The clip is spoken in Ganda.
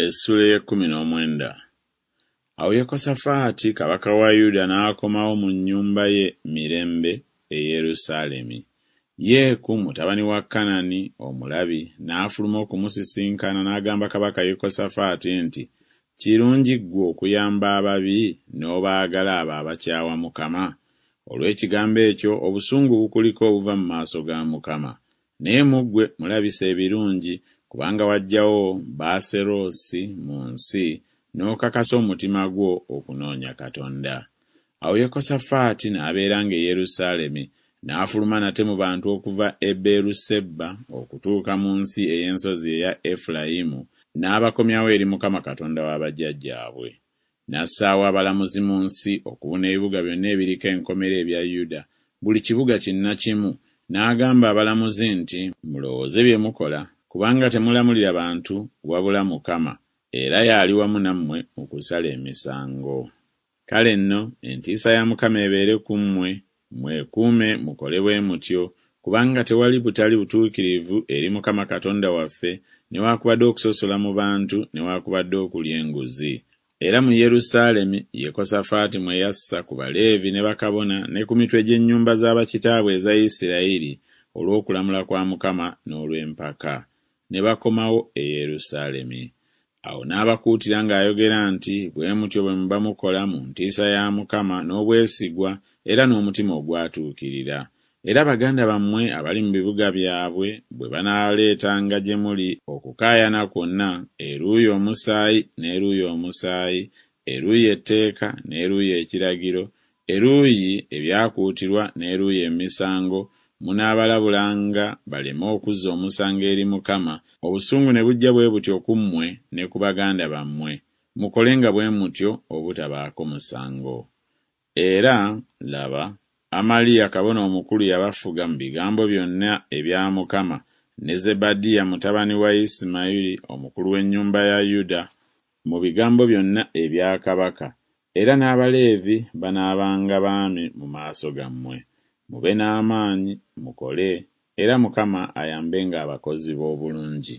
Essuula ey'ekkumi n'omwenda. Awo Yekosafaati kabaka wa Yuda n'akomawo mu nnyumba ye mirembe e Yerusaalemi. Yeeku mutabani wa Kanani omulabi n'afuluma okumusisinkana n'agamba kabaka Yekosafaati nti Kirungi ggwe okuyamba ababi n'obaagala abo abakyawa Mukama? Olw'ekigambo ekyo obusungu bukuliko obuva mu maaso ga Mukama. Naye mu ggwe mulabise ebirungi, kubanga waggyawo Baaserosi mu nsi, n'okakasa omutima gwo okunoonya Katonda. Awo Yekosafaati n'abeeranga e Yerusaalemi, n'afuluma nate mu bantu okuva e Beeruseba okutuuka mu nsi ey'ensozi eya Efulayimu, n'abakomyawo eri Mukama Katonda wa bajjajjaabwe. N'assaawo abalamuzi mu nsi okubuna ebibuga byonna ebiriko enkomera ebya Yuda, buli kibuga kinnakimu, n'agamba abalamuzi nti Mulowooze bye mukola, kubanga temulamulira bantu, wabula Mukama, era y'ali wamu nammwe mu kusala emisango. Kale nno entiisa ya Mukama ebeere ku mmwe, mwekuume mukole bwe mutyo, kubanga tewali butali butuukirivu eri Mukama Katonda waffe, newakubadde okusosola mu bantu newakubadde okulya enguzi. Era mu Yerusaalemi Yekosafaati mwe yassa ku Baleevi ne bakabona ne ku mitwe gy'ennyumba za bakitaabwe eza Isiraeri olw'okulamula kwa Mukama n'olw'empaka, ne bakomawo e Yerusaalemi. Awo n'abakuutira ng'ayogera nti Bwe mutyo bwe muba mukola mu ntiisa ya Mukama n'obwesigwa era n'omutima ogwatuukirira. Era baganda bammwe abali mu bibuga byabwe bwe banaaleetanga gye muli okukaayana kwonna, eruuyi omusaayi n'eruuyi omusaayi, eruuyi etteeka n'eruuyi ekiragiro, eruuyi ebyakuutirwa n'eruuyi emisango, munaabalabulanga baleme okuzza omusango eri Mukama, obusungu ne bujja bwe butyo ku mmwe ne ku baganda bammwe, mukolenga bwe mutyo obutabaako musango. Era, laba, Amaliya kabona omukulu yabafuga mu bigambo byonna ebya Mukama, ne Zebadiya mutabani wa Isimayiri omukulu w'ennyumba ya Yuda, mu bigambo byonna ebya kabaka, era n'Abaleevi banaabanga baami mu maaso gammwe. Mube n'amaanyi, mukole, era Mukama ayambenga abakozi b'obulungi.